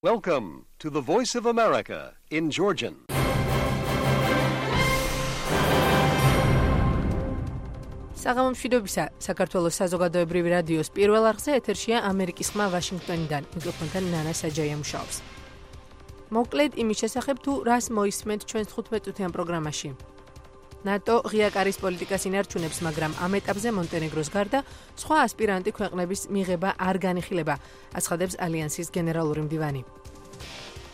Welcome to the Voice of America in Georgian. საღამომშვიდობისა საქართველოს საზოგადოებრივი რადიოს პირველ არხზე ეთერშია ამერიკის ხმა ვაშინგტონიდან. მიკროფონთან ნანა საჯაია მუშაობს. მოკლედ იმის შესახებ თუ რას მოისმენთ ჩვენს 15-წუთიან პროგრამაში. ნატო ღია კარის პოლიტიკას ინარჩუნებს, მაგრამ ამ ეტაპზე მონტენეგროს გარდა სხვა ასპირანტი ქვეყნების მიღება არ განიხილება, აცხადებს ალიანსის გენერალური მდივანი.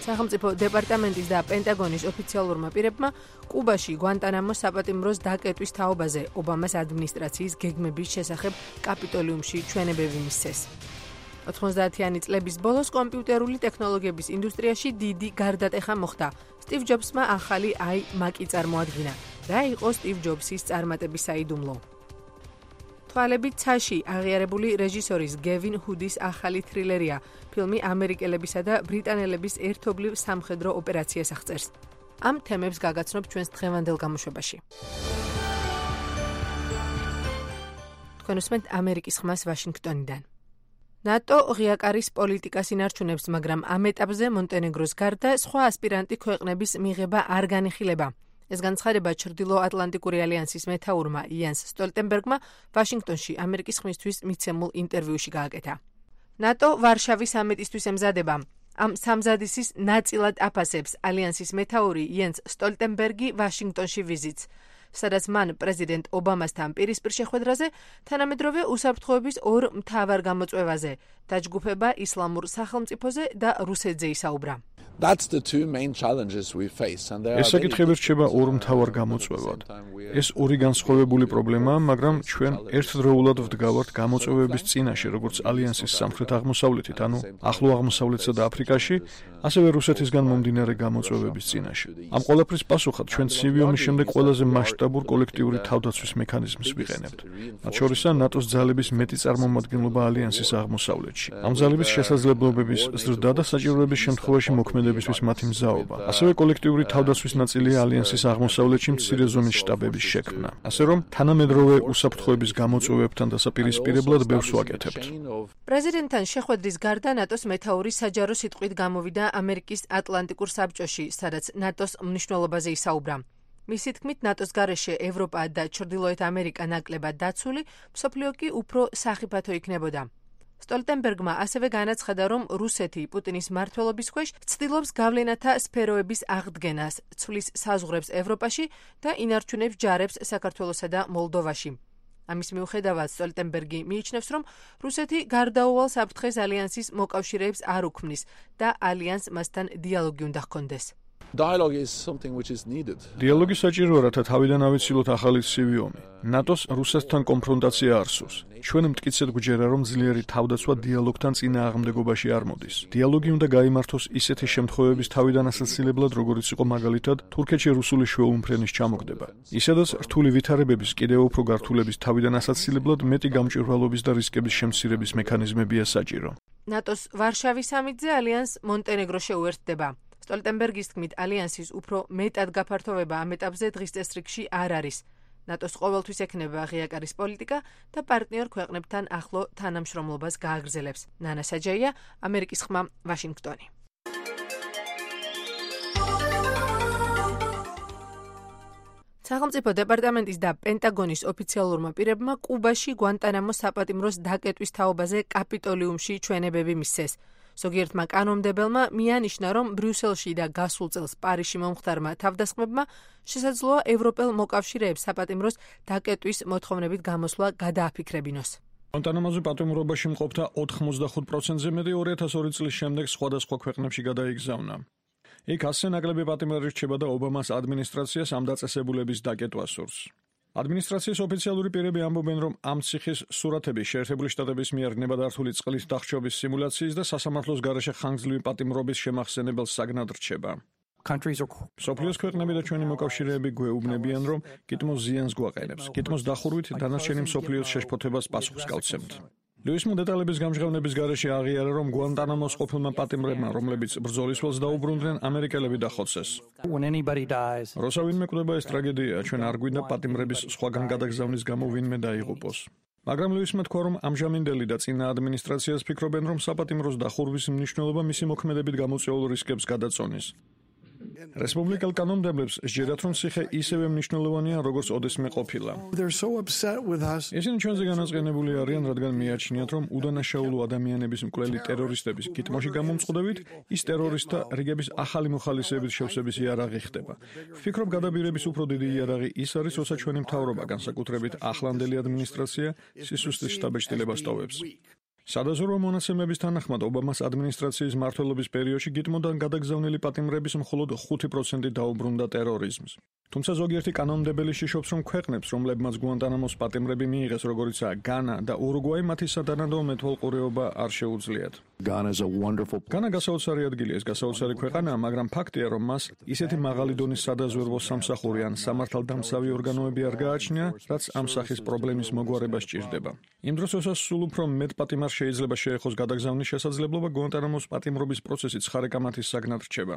სახელმწიფო დეპარტამენტის და პენტაგონის ოფიციალურმა პირებმა კუბაში გვანტანამოს საპატიმროს დაკეტვის თაობაზე ობამას ადმინისტრაციის გეგმების შესახებ კაპიტოლიუმში ჩვენებები მისცეს. 90-იანი წლების ბოლოს კომპიუტერული ტექნოლოგიების ინდუსტრიაში დიდი გარდატეხა მოხდა. სტივ ჯობსმა ახალი iMac-ი წარმოადგინა. რა იყო სტივ ჯობსის წარმატების საიდუმლო? თვალები ცაში აღიარებული რეჟისორის გევინ ჰუდის ახალი თრილერია. ფილმი ამერიკელებისა და ბრიტანელების ერთობლივ სამხედრო ოპერაციას აღწერს. ამ თემებს გაგაცნობ ჩვენს დღევანდელ გამოშვებაში. თქვენ უსმენთ ამერიკის ხმას ვაშინგტონიდან. ნატო ღია კარის პოლიტიკას ინარჩუნებს, მაგრამ ამ ეტაპზე მონტენეგროს გარდა სხვა ასპირანტი ქვეყნების მიღება არ განიხილება. ეს განცხადება ჩრდილო-ატლანტიკური ალიანსის მეთაურმა იანს სტოლტენბერგმა ვაშინგტონში ამერიკის ხმისთვის მიცემულ ინტერვიუში გააკეთა. ნატო ვარშავის სამიტისთვის ემზადება. ამ სამზადისის ნაწილად აფასებს ალიანსის მეთაური იანს სტოლტენბერგი ვაშინგტონში ვიზიტს, სადაც მან პრეზიდენტ ობამასთან პირისპირ შეხვედრაზე თანამედროვე უსაფრთხოების ორ მთავარ გამოწვევაზე, დაჯგუფება ისლამურ სახელმწიფოზე და რუსეთზე ისაუბრა. ეს საკითხები რჩება ორ მთავარ გამოწვევად. ეს ორი განსხვავებული პრობლემაა, მაგრამ ჩვენ ერთდროულად ვდგავართ გამოწვევების წინაშე, როგორც ალიანსის სამხრეთ აღმოსავლეთით, ანუ ახლო აღმოსავლეთსა და აფრიკაში, ასევე რუსეთისგან მომდინარე გამოწვევების წინაშე. ამ ყველაფრის პასუხად ჩვენ ცივი ომის შემდეგ ყველაზე მასშტაბურ კოლექტიური თავდაცვის მექანიზმს ვიყენებთ. მათ შორისაა ნატოს ძალების მეტი წარმომადგენლობა ალიანსის აღმოსავლეთში. ამ ძალების შესაძლებლობების ზრდა და საჭიროების შემთხვევაში მოქმედებისთვის მათი მზაობა. ასევე კოლექტიური თავდაცვის ნაწილია ალიანსის აღმოსავლეთში მცირე ზომის შტაბების შექმნა. ასე რომ თანამედროვე უსაფრთხოების გამოწვევებთან დასაპირისპირებლად ბევრს ვაკეთებთ. პრეზიდენტთან შეხვედრის გარდა ნატოს მეთაური საჯარო სიტყვით გამოვიდა ამერიკის ატლანტიკურ საბჭოში, სადაც ნატოს მნიშვნელობაზე ისაუბრა. მისი თქმით, ნატოს გარეშე ევროპა და ჩრდილოეთ ამერიკა ნაკლებად დაცული, მსოფლიო კი უფრო სახიფათო იქნებოდა. სტოლტენბერგმა ასევე განაცხადა, რომ რუსეთი პუტინის მმართველობის ქვეშ ცდილობს გავლენათა სფეროების აღდგენას, ცვლის საზღვრებს ევროპაში და ინარჩუნებს ჯარებს საქართველოსა და მოლდოვაში. ამის მიუხედავად სტოლტენბერგი მიიჩნევს, რომ რუსეთი გარდაუვალ საფრთხეს ალიანსის მოკავშირეებს არ უქმნის და ალიანს მასთან დიალოგი უნდა ჰქონდეს. დიალოგი საჭიროა, რათა თავიდან ავიცილოთ ახალი ცივი ომი. ნატოს რუსეთთან კონფრონტაცია არ სურს. ჩვენ მტკიცედ გვჯერა, რომ ძლიერი თავდაცვა დიალოგთან წინააღმდეგობაში არ მოდის. დიალოგი უნდა გაიმართოს ისეთი შემთხვევების თავიდან ასაცილებლად, როგორიც იყო მაგალითად თურქეთში რუსული შვეულმფრენის ჩამოგდება. ისედაც რთული ვითარებების კიდევ უფრო გართულების თავიდან ასაცილებლად მეტი გამჭვირვალობის და რისკების შემცირების მექანიზმებია საჭირო. ნატოს ვარშავის სამიტზე ალიანს მონტენეგრო შეუერთდება. სტოლტენბერგის თქმით, ალიანსის უფრო მეტად გაფართოვება ამ ეტაპზე დღის წესრიგში არ არის. ნატოს ყოველთვის ექნება ღია კარის პოლიტიკა და პარტნიორ ქვეყნებთან ახლო თანამშრომლობას გააგრძელებს. ნანა საჯაია, ამერიკის ხმა, ვაშინგტონი. სახელმწიფო დეპარტამენტის და პენტაგონის ოფიციალურმა პირებმა კუბაში გვანტანამოს საპატიმროს დაკეტვის თაობაზე კაპიტოლიუმში ჩვენებები მისცეს. ზოგიერთმა კანონმდებელმა მიანიშნა, რომ ბრიუსელში და გასულ წელს პარიზში მომხდარმა თავდასხმებმა შესაძლოა ევროპელ მოკავშირეებს საპატიმროს დაკეტვის მოთხოვნებით გამოსვლა გადააფიქრებინოს. გვანტანამოზე პატიმრობაში მყოფთა 95%-ზე მეტი 2002 წლის შემდეგ სხვადასხვა ქვეყნებში გადაიგზავნა. იქ ასე ნაკლები პატიმარი რჩება და ობამას ადმინისტრაციას ამ დაწესებულების დაკეტვა სურს. ადმინისტრაციის ოფიციალური პირები ამბობენ, რომ ამ ციხის სურათები შეერთებული შტატების მიერ ნებადართული წყლის დახრჩობის სიმულაციის და სასამართლოს გარეშე ხანგრძლივი პატიმრობის შემახსენებელ საგნად რჩება. მსოფლიოს ქვეყნები და ჩვენი მოკავშირეები გვეუბნებიან, რომ გიტმოს ზიანს გვაყენებს. გიტმოს დახურვით დანარჩენი მსოფლიოს შეშფოთებას პასუხს გავცემთ. ლუისმა დეტალების გამჟღავნების გარეშე აღიარა, რომ გვანტანამოს ყოფილმა პატიმრებმა, რომლებიც ბრძოლის ველს დაუბრუნდნენ, ამერიკელები დახოცეს. როცა ვინმე კვდება ეს ტრაგედია, ჩვენ არ გვინდა პატიმრების სხვაგან გადაგზავნის გამო ვინმე დაიღუპოს. მაგრამ ლუისმა თქვა, რომ ამჟამინდელი და წინა ადმინისტრაციას ფიქრობენ, რომ საპატიმროს დახურვის მნიშვნელობა მისი მოქმედებით გამოწვეულ რისკებს გადაწონის. რესპუბლიკელ კანონმდებლებს სჯერათ, რომ ციხე ისევე მნიშვნელოვანია, როგორც ოდესმე ყოფილა. ისინი ჩვენზე განაწყენებული არიან, რადგან მიაჩნიათ, რომ უდანაშაულო ადამიანების მკვლელი ტერორისტების გიტმოში გამომწყდებით, ის ტერორისტთა რიგების ახალი მოხალისეების შევსების იარაღი ხდება. ვფიქრობ, გადაბირების უფრო დიდი იარაღი ის არის, როცა ჩვენი მთავრობა, განსაკუთრებით ახლანდელი ადმინისტრაცია, სისუსტის შთაბეჭდილებას ტოვებს. სადაზვერვო მონაცემების თანახმად ობამას ადმინისტრაციის მმართველობის პერიოდში გიტმოდან გადაგზავნილი პატიმრების მხოლოდ 5% დაუბრუნდა ტერორიზმს. თუმცა ზოგიერთი კანონმდებელი შიშობს, რომ ქვეყნებს, რომლებმაც გუანტანამოს პატიმრები მიიღეს, როგორიცაა განა და ურუგვაი, მათი სადანადო მეთვალყურეობა არ შეუძლიათ. განა გასაოცარი ადგილია, ეს გასაოცარი ქვეყანაა, მაგრამ ფაქტია, რომ მას ისეთი მაღალი დონის სადაზვერვო სამსახური ან სამართალდამცავი ორგანოები არ გააჩნია, რაც ამ სახის პრობლემის მოგვარება სჭირდება. იმ დროს, როდესაც სულ უფრო მეტ პატიმარს შეიძლება შეეხოს გადაგზავნის შესაძლებლობა, გუანტანამოს პატიმრობის პროცესი ცხარე-კამათის საგნად რჩება.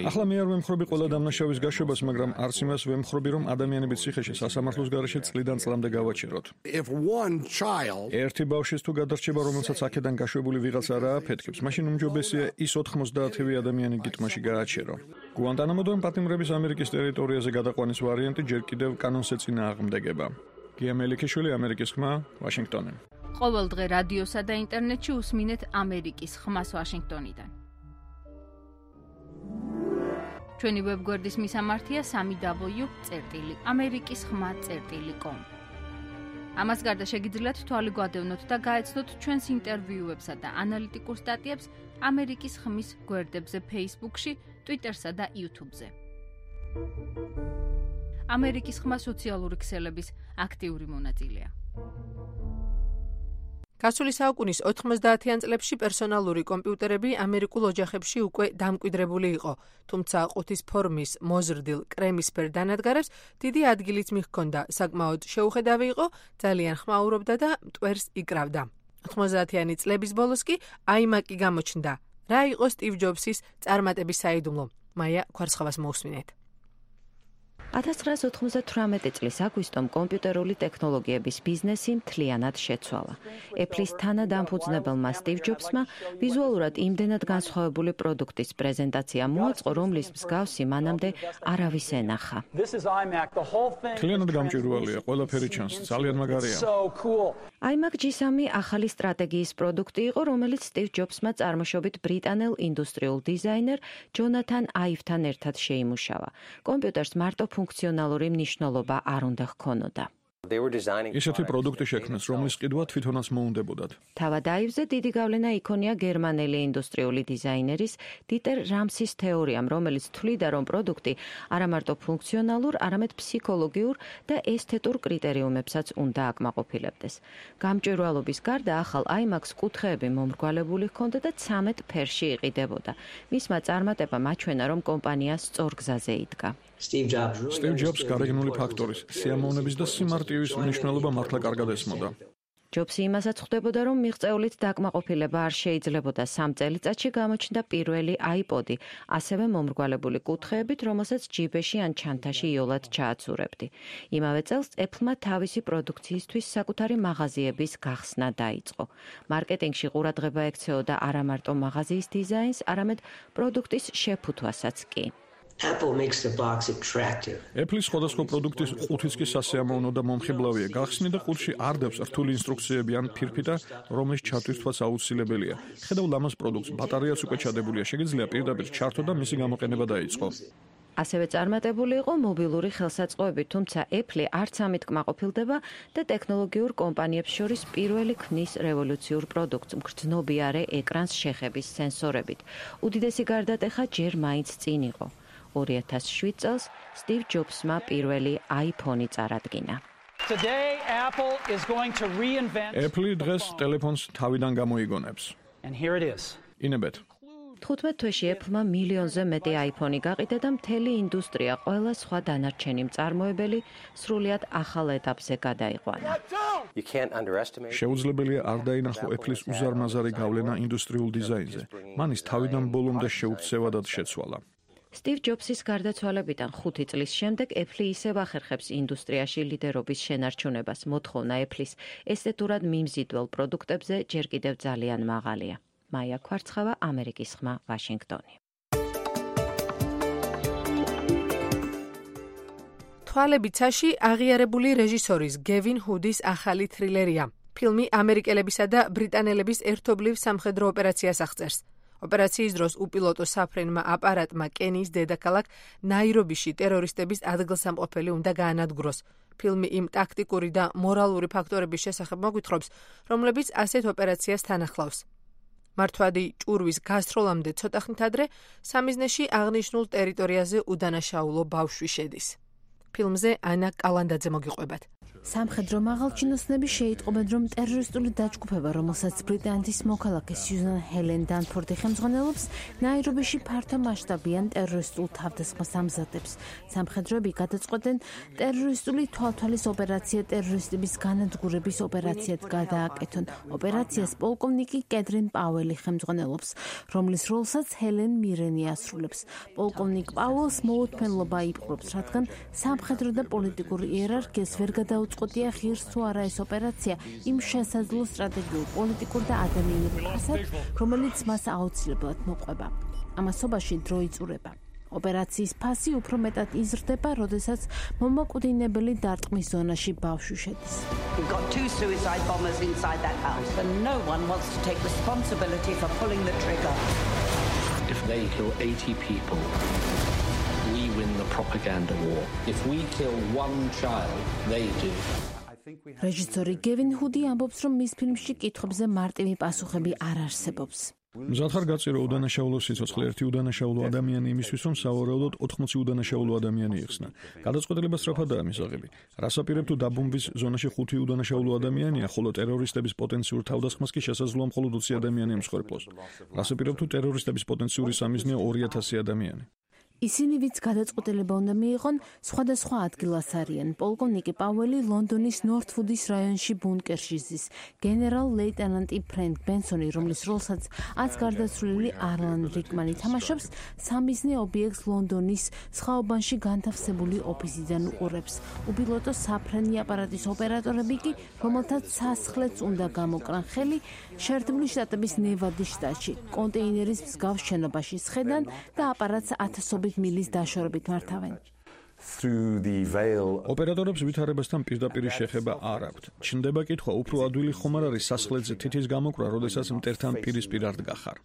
ახლა მე არ ვემხრობი ყველა დამნაშავის გაშვებას, მაგრამ არც იმას ვემხრობი, რომ ადამიანები ციხეში სასამართლოს გარეშე წლიდან წლამდე გავაჩეროთ. ერთი ბავშვის თუ გადარჩება, რომელსაც აქედან გაშვებული ვიღაცა არ ააფეთქებს, მაშინ უმჯობესია ის 90-ი ადამიანი გიტმაში გააჩერო. გუანტანამოდან პატიმრების ამერიკის ტერიტორიაზე გადაყვანის ვარიანტი ჯერ კიდევ კანონს ეწინააღმდეგება. გია მელიქიშვილი, ამერიკის ხმა, ვაშინგტონი. ყოველ დღე რადიოსა და ინტერნეტში უსმინეთ ამერიკის ხმას ვაშინგტონიდან. ჩვენი ვებგვერდის მისამართია www.amerikiskhma.com. ამას გარდა შეგიძლიათ თვალი გვადევნოთ და გაეცნოთ ჩვენს ინტერვიუებსა და ანალიტიკურ სტატიებს ამერიკის ხმის გვერდებზე Facebook-ში, Twitter-სა და YouTube-ზე. ამერიკის ხმა სოციალური ქსელების აქტიური მონაწილეა. გასული საუკუნის 90-იან წლებში პერსონალური კომპიუტერები ამერიკულ ოჯახებში უკვე დამკვიდრებული იყო, თუმცა ყუთის ფორმის მოზრდილ კრემისფერ დანადგარებს დიდი ადგილიც მიჰქონდა, საკმაოდ შეუხედავი იყო, ძალიან ხმაურობდა და მტვერს იკრავდა. 90-იანი წლების ბოლოს კი iMac-ი გამოჩნდა. რა იყო სტივ ჯობსის წარმატების საიდუმლო? მაია ქვარცხავას მოусმინეთ. 1998 წლის აგვისტომ კომპიუტერული ტექნოლოგიების ბიზნესი მთლიანად შეცვალა. Apple-ის თანადამფუძნებელმა სტივ ჯობსმა ვიზუალურად იმდენად განსხვავებული პროდუქტის პრეზენტაცია მოაწყო, რომლის მსგავსი მანამდე არავის ენახა. მთლიანად გამჭვირვალეა, ყველაფერი ჩანს, ძალიან მაგარია. iMac G3 ახალი სტრატეგიის პროდუქტი იყო, რომელიც სტივ ჯობსმა წარმოშობით ბრიტანელ ინდუსტრიულ დიზაინერ ჯონათან აივთან ერთად შეიმუშავა. კომპიუტერს მარტო ფუნქციონალური მნიშვნელობა არ უნდა ჰქონოდა. ისეთი პროდუქტი შექმნეს, რომლის ყიდვა თვითონაც მოუნდებოდათ. თავად აივზე დიდი გავლენა იქონია გერმანელი ინდუსტრიული დიზაინერის დიტერ რამსის თეორიამ, რომელიც თვლიდა, რომ პროდუქტი არა მარტო ფუნქციონალურ, არამედ ფსიქოლოგიურ და ესთეტურ კრიტერიუმებსაც უნდა აკმაყოფილებდეს. გამჭვირვალობის გარდა ახალ iMac-ს კუთხეები მომრგვალებული ჰქონდა და 13 ფერში იყიდებოდა. მისმა წარმატებამ აჩვენა, რომ კომპანია სწორ გზაზე იდგა. Steve Jobs გარეგნული ფაქტორის, სიამოვნების და სიმარტივის მნიშვნელობა მართლა კარგად ესმოდა. ჯობსი იმასაც ხვდებოდა, რომ მიღწეულით დაკმაყოფილება არ შეიძლებოდა. 3 წელიწადში გამოჩნდა პირველი iPod-ი, ასევე მომრგვალებული კუთხეებით, რომელსაც ჯიბეში ან ჩანთაში იოლად ჩააცურებდი. იმავე წელს Apple-მა თავისი პროდუქციისთვის საკუთარი მაღაზიების გახსნა დაიწყო. მარკეტინგში ყურადღება ექცეოდა არა მარტო მაღაზიის დიზაინს, არამედ პროდუქტის შეფუთვასაც კი. Apple-ის სხვადასხვა პროდუქტის ყუთიც კი სასიამოვნო და მომხიბლავია. გახსნი და ყუთში არ დევს რთული ინსტრუქციები ან ფირფიტა, რომლის ჩათვისთვაც აუცილებელია. ხედავ ლამაზ პროდუქტს, ბატარეაც უკვე ჩადებულია, შეგიძლია პირდაპირ ჩართო და მისი გამოყენება დაიწყო. ასევე წარმატებული იყო მობილური ხელსაწყოები, თუმცა Apple არც ამით კმაყოფილდება და ტექნოლოგიურ კომპანიებს შორის პირველი ქმნის რევოლუციურ პროდუქტს, მგრძნობიარე ეკრანს შეხების სენსორებით. უდიდესი გარდატეხა ჯერ მაინც წინ იყო. 2007 წელს სტივ ჯობსმა პირველი iPhone-ი წარადგინა. Apple დღეს ტელეფონს თავიდან გამოიგონებს. ინებეთ. 15 თვეში Apple-მა მილიონზე მეტი iPhone-ი გაყიდა და მთელი ინდუსტრია, ყველა სხვა დანარჩენი მწარმოებელი სრულიად ახალ ეტაპზე გადაიყვანა. შეუძლებელია არ დაინახო Apple-ის უზარმაზარი გავლენა ინდუსტრიულ დიზაინზე. მან ის თავიდან ბოლომდე შეუცევადად შეცვალა. სტივ ჯობსის გარდაცვალებიდან 5 წლის შემდეგ Apple ისევ ახერხებს ინდუსტრიაში ლიდერობის შენარჩუნებას. მოთხოვნა Apple-ის ესთეტურად მიმზიდველ პროდუქტებზე ჯერ კიდევ ძალიან მაღალია. მაია ქვარცხავა, ამერიკის ხმა, ვაშინგტონი. თვალები ცაში აღიარებული რეჟისორის გევინ ჰუდის ახალი თრილერია. ფილმი ამერიკელებისა და ბრიტანელების ერთობლივ სამხედრო ოპერაციას აღწერს. ოპერაციის დროს უპილოტო საფრენმა აპარატმა კენიის დედაქალაქ ნაირობიში ტერორისტების ადგილსამყოფელი უნდა გაანადგუროს. ფილმი იმ ტაქტიკური და მორალური ფაქტორების შესახებ მოგვითხრობს, რომლებიც ასეთ ოპერაციას თან ახლავს. მართვადი ჭურვის გასროლამდე ცოტა ხნით ადრე სამიზნეში აღნიშნულ ტერიტორიაზე უდანაშაულო ბავშვი შედის. ფილმზე ანა კალანდაძე მოგიყვებათ. სამხედრო მაღალჩინოსნები შეიტყობენ, რომ ტერორისტული დაჯგუფება, რომელსაც ბრიტანეთის მოქალაქე სიუზან ჰელენ დანფორდი ხელმძღვანელობს, ნაირობიში ფართო მასშტაბიან ტერორისტულ თავდასხმას ამზადებს. სამხედროები გადაწყვეტენ ტერორისტული თვალთვალის ოპერაცია ტერორისტების განადგურების ოპერაციად გადააკეთონ. ოპერაციას პოლკოვნიკი კედრინ პაუელი ხელმძღვანელობს, რომლის როლსაც ჰელენ მირენი ასრულებს. პოლკოვნიკ პაუელს მოუთმენლობა იპყრობს, რადგან სამხედრო და პოლიტიკური იერარქიას ვერ გადაუწყვეტია ღირს თუ არა ეს ოპერაცია იმ შესაძლო სტრატეგიულ, პოლიტიკურ და ადამიანურ ფასად, რომელიც მას აუცილებლად მოყვება. ამასობაში დრო იწურება. ოპერაციის ფასი უფრო მეტად იზრდება, როდესაც მომაკვდინებელი დარტყმის ზონაში ბავშვი შედის. We've got 2 suicide bombers inside that house and no one wants to take responsibility for pulling the trigger. If they kill 80 people, we win the propaganda war. If we kill one child, they do. რეჟისორი გევინ ჰუდი ამბობს, რომ მის ფილმში კითხვებზე მარტივი პასუხები არ არსებობს. მზად ხარ გაწირო უდანაშაულო სიცოცხლე ერთი უდანაშაულო ადამიანი იმისთვის, რომ სავარაუდოდ 80 უდანაშაულო ადამიანი იხსნა. გადაწყვეტილება სწრაფადაა მისაღები. რას აპირებ თუ დაბომბვის ზონაში 5 უდანაშაულო ადამიანია, ხოლო ტერორისტების პოტენციურ თავდასხმას კი შესაძლოა მხოლოდ 20 ადამიანი ემსხვერპლოს. რას აპირებ თუ ტერორისტების პოტენციური სამიზნეა 2000 ადამიანი. ისინი, ვინც გადაწყვეტილება უნდა მიიღონ, სხვადასხვა ადგილას არიან. პოლკოვნიკი პაუელი ლონდონის ნორთვუდის რაიონში ბუნკერში ზის. გენერალ-ლეიტენანტი ფრენკ ბენსონი, რომლის როლსაც აც გარდაცვლილი არლან რიკმანი თამაშობს, სამიზნე ობიექტს ლონდონის სხვაობანში განთავსებული ოფისიდან უყურებს. უპილოტო საფრენი აპარატის ოპერატორები კი, რომელთაც სასახლეც უნდა გამოკრან ხელი, შეერთებული შტატების ნევადის შტატში, კონტეინერის მსგავს შენობაში სხედან და აპარატს ათასობით მილის დაშორებით მართავენ. ოპერატორებს ვითარებასთან პირდაპირ შეხება არ აქვთ. ჩნდება კითხვა, უფრო ადვილი ხომ არ არის სასახლეზე თითის გამოკრა, როდესაც მტერთან პირისპირ არ დგახარ.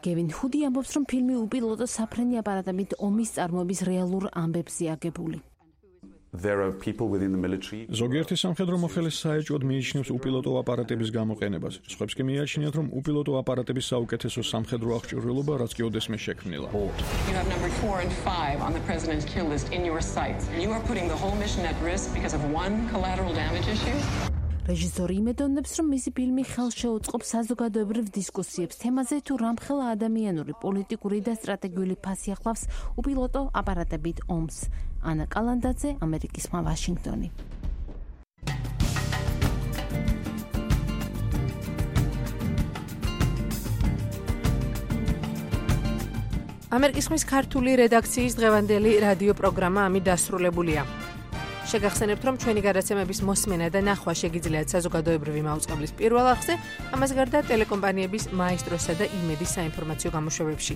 გევინ ჰუდი ამბობს, რომ ფილმი უპილოტო საფრენი აპარატებით ომის წარმოების რეალურ ამბებზე აგებული. ზოგიერთი სამხედრო მოხელე საეჭვოდ მიიჩნევს უპილოტო აპარატების გამოყენებას. სხვებს კი მიაჩნიათ, რომ უპილოტო აპარატების საუკეთესო სამხედრო აღჭურვილობა რაც კი ოდესმე შექმნილა. You have number 4 and 5 on the president's kill list in your sights. You are putting the whole mission at risk because of one collateral damage issue. რეჟისორი იმედოვნებს, რომ მისი ფილმი ხელს შეუწყობს საზოგადოებრივ დისკუსიებს თემაზე, თუ რამხელა ადამიანური, პოლიტიკური და სტრატეგიული ფასი ახლავს უპილოტო აპარატებით ომს. ანა კალანდაძე, ამერიკის ხმა, ვაშინგტონი. ამერიკის ხმის ქართული რედაქციის დღევანდელი რადიო პროგრამა ამით დასრულებულია. შეგახსენებთ, რომ ჩვენი გადაცემების მოსმენა და ნახვა შეგიძლიათ საზოგადოებრივი მაუწყებლის პირველ არხზე, ამას გარდა ტელეკომპანიების მაესტროსა და იმედის საინფორმაციო გამოშვებებში.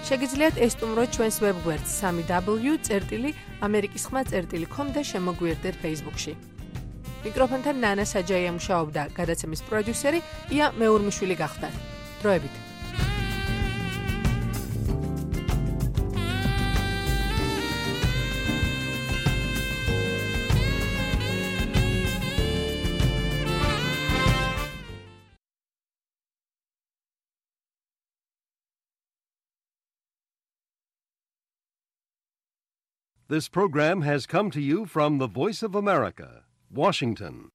შეგიძლიათ ესტუმროთ ჩვენს ვებგვერდს www.amerikiskhma.com და შემოგვიერთდეთ Facebook-ში. მიკროფონთან ნანა საჯაია მუშაობდა, გადაცემის პროდიუსერი ია მეურმიშვილი გახდათ. დროებით. This program has come to you from the Voice of America, Washington.